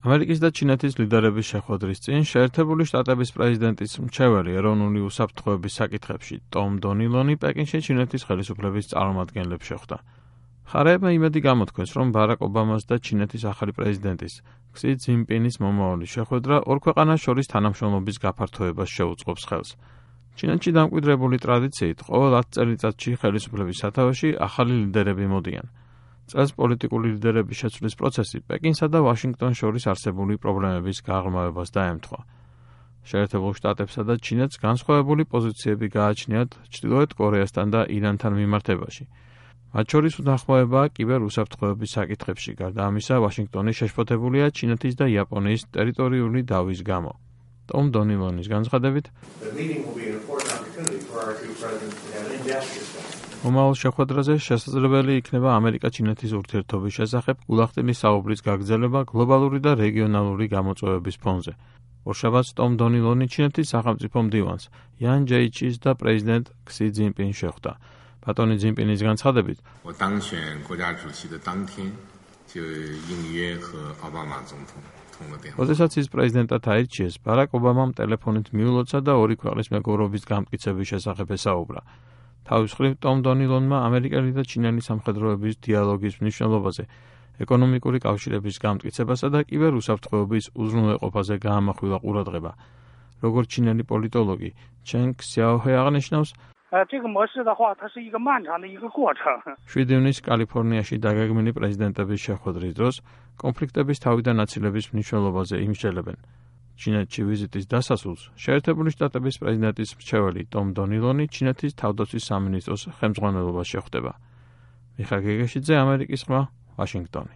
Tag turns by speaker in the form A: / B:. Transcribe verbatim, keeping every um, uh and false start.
A: ამერიკის და ჩინეთის ლიდერების შეხვედრის წინ შეერთებული შტატების პრეზიდენტის მრჩეველი ეროვნული უსაფრთხოების საკითხებში ტომ დონილონი პეკინში ჩინეთის ხელისუფლების წარმომადგენლებს შეხვდა. მხარეებმა იმედი გამოთქვეს, რომ ბარაკ ობამას და ჩინეთის ახალი პრეზიდენტის ქსი ძინპინის მომავალი შეხვედრა ორ ქვეყანას შორის თანამშრომლობის გაფართოებას შეუწყობს ხელს. ჩინეთში დამკვიდრებული ტრადიციით ყოველ ათ წელიწადში ხელისუფლების სათავეში ახალი ლიდერები მოდიან. წელს პოლიტიკური ლიდერების შეცვლის პროცესი პეკინსა და ვაშინგტონს შორის არსებული პრობლემების გაღრმავებას დაემთხვა. შეერთებულ შტატებსა და ჩინეთს განსხვავებული პოზიციები გააჩნიათ ჩრდილოეთ კორეასთან და ირანთან მიმართებაში. მათ შორის უთანხმოებაა კიბერ-უსაფრთხოების საკითხებში, გარდა ამისა, ვაშინგტონი შეშფოთებულია ჩინეთის და იაპონიის ტერიტორიული დავის გამო. ტომ დონილონის განცხადებით, მომავალ შეხვედრაზე შესაძლებელი იქნება ამერიკა-ჩინეთის ურთიერთობის შესახებ გულახდილი საუბრის გაგრძელება გლობალური და რეგიონალური გამოწვევების ფონზე. ორშაბათს ტომ დონილონი ჩინეთის სახელმწიფო მდივანს იან ჯეიჩის და პრეზიდენტ ქსი ძინპინს შეხვდა. ბატონი ძინპინის განცხადებით, როდესაც ის პრეზიდენტად აირჩიეს, ბარაკ ობამამ ტელეფონით მიულოცა და ორი ქვეყნის მეგობრობის გამტკიცების შესახებ ესაუბრა. თავის მხრივ ტომ დონილონმა ამერიკელი და ჩინელი სამხედროების დიალოგის მნიშვნელობაზე, ეკონომიკური კავშირების გამტკიცებასა და კიბერ-უსაფრთხოების უზრუნველყოფაზე გაამახვილა ყურადღება. როგორც ჩინელი პოლიტოლოგი ჩენ ქსიაოჰე აღნიშნავს, შვიდი ივნისს კალიფორნიაში დაგეგმილი პრეზიდენტების შეხვედრის დროს კონფლიქტების თავიდან აცილების მნიშვნელობაზე იმსჯელებენ. ჩინეთში ვიზიტის დასასრულს შეერთებული შტატების პრეზიდენტის მრჩეველი ტომ დონილონი ჩინეთის თავდაცვის სამინისტროს ხელმძღვანელობას შეხვდება. მიხა გეგეშიძე, ამერიკის ხმა, ვაშინგტონი.